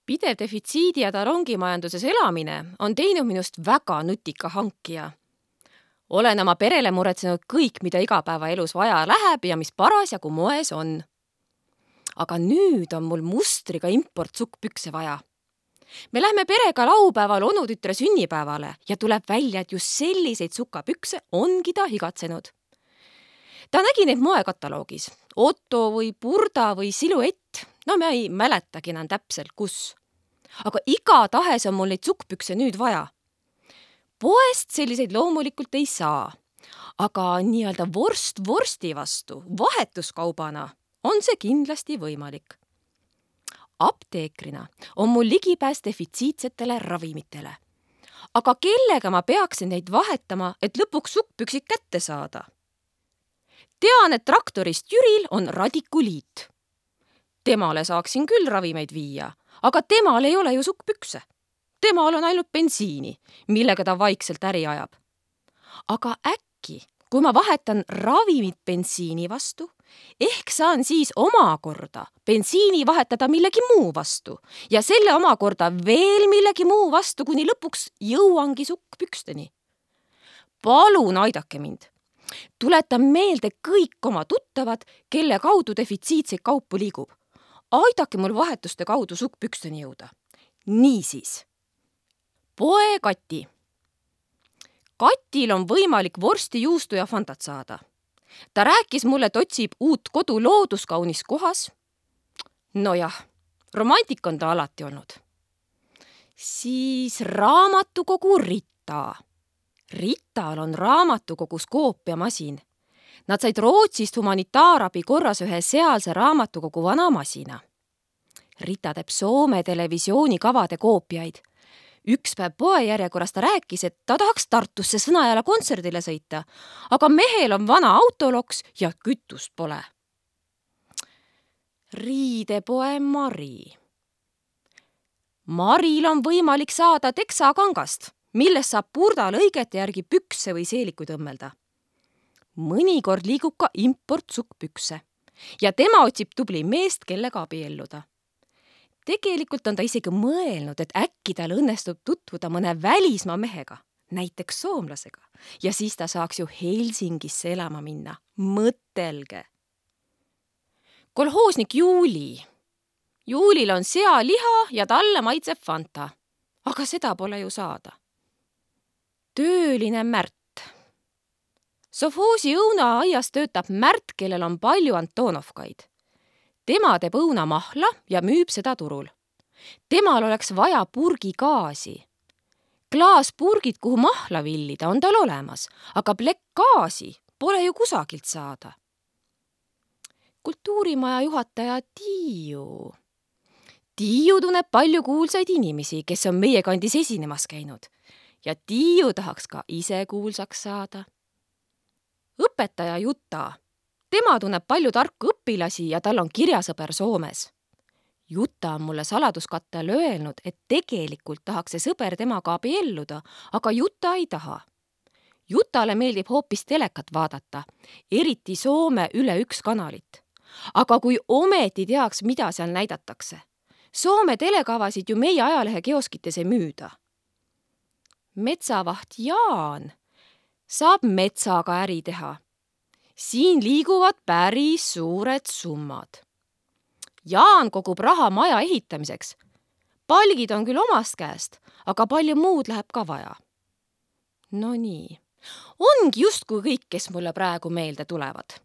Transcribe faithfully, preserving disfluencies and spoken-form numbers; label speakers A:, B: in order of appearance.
A: Pidev defitsiidi ja tarongimajanduses elamine on teinud minust väga nutika hankija. Olen oma perele muretsenud kõik, mida igapäevaelus vaja läheb ja mis parasjagu moes on. Aga nüüd on mul mustriga importsukkpükse vaja. Me lähme perega laupäeval onutütre sünnipäevale ja tuleb välja, et just selliseid sukapükse ongi ta higatsenud. Ta nägi neid moekataloogis. Otto või Burda või Silhouette. No me ei mäletagi enam täpselt, kus. Aga igatahes on mul neid sukkpükse nüüd vaja. Poest selliseid loomulikult ei saa. Aga nii-öelda vorst vorsti vastu, vahetuskaubana on see kindlasti võimalik. Apteekrina on mul ligipääs defitsiitsetele ravimitele. Aga kellega ma peaksin neid vahetama, et lõpuks sukkpüksid kätte saada? Tean, et traktorist Jüril on radikuliit. Temale saaksin küll ravimeid viia, aga temal ei ole ju sukkpükse. Temal on ainult bensiini, millega ta vaikselt äri ajab. Aga äkki, kui ma vahetan ravimit bensiini vastu, ehk saan siis omakorda bensiini vahetada millegi muu vastu ja selle omakorda veel millegi muu vastu, kuni lõpuks jõuangi sukkpüksteni. Palun aidake mind. Tuletan meelde kõik oma tuttavad, kelle kaudu defitsiitseid kaupu liigub. Aidake mul vahetuste kaudu sukkpüksteni jõuda. Niisiis. Poe Kati. Katil on võimalik vorsti, juustu ja fantat saada. Ta rääkis mulle, et otsib uut kodu looduskaunis kohas. Nojah, romantik on ta alati olnud. Siis raamatukogu Rita. Rital on raamatukogus koopiamasin. Nad said Rootsist humanitaarabi korras ühe sealse raamatukogu vana masina. Rita teeb Soome televisioonikavade koopiaid. Üks päev poejärjekorras ta rääkis, et ta tahaks Tartusse Sõnajalal kontserdile sõita, aga mehel on vana autoloks ja kütust pole. Riidepoe Mari. Maril on võimalik saada teksakangast, millest saab Burda lõigete järgi pükse või seelikuid õmmelda. Mõnikord liigub ka importsukkpükse ja tema otsib tubli meest, kellega abielluda. Tegelikult on ta isegi mõelnud, et äkki tal õnnestub tutvuda mõne välismaa mehega, näiteks soomlasega, ja siis ta saaks ju Helsingisse elama minna. Mõtelge! Kolhoosnik Juuli. Juulil on sealiha ja talle maitseb fanta, aga seda pole ju saada. Tööline Märt. Sovhoosi õunaaias töötab Märt, kellel on palju Antonovkaid. Tema teeb õunamahla ja müüb seda turul. Temal oleks vaja purgigaasi. Klaaspurgid, kuhu mahla villida, on tal olemas, aga plekkgaasi pole ju kusagilt saada. Kultuurimaja juhataja Tiiu. Tiiu tunneb palju kuulsaid inimesi, kes on meie kandis esinemas käinud. Ja Tiiu tahaks ka ise kuulsaks saada. Õpetaja Juta. Tema tunneb palju tarku õpilasi ja tal on kirjasõber Soomes. Juta on mulle saladuskattel öelnud, et tegelikult tahaks see sõber temaga abielluda, aga Juta ei taha. Jutale meeldib hoopis telekat vaadata, eriti Soome üle üks kanalit. Aga kui ometi teaks, mida seal näidatakse. Soome telekavasid ju meie ajalehe kioskites ei müüda. Metsavaht Jaan saab metsaga äri teha. Siin liiguvad päris suured summad. Jaan kogub raha maja ehitamiseks. Palgid on küll omast käest, aga palju muud läheb ka vaja. No nii. Ongi justkui kõik, kes mulle praegu meelde tulevad.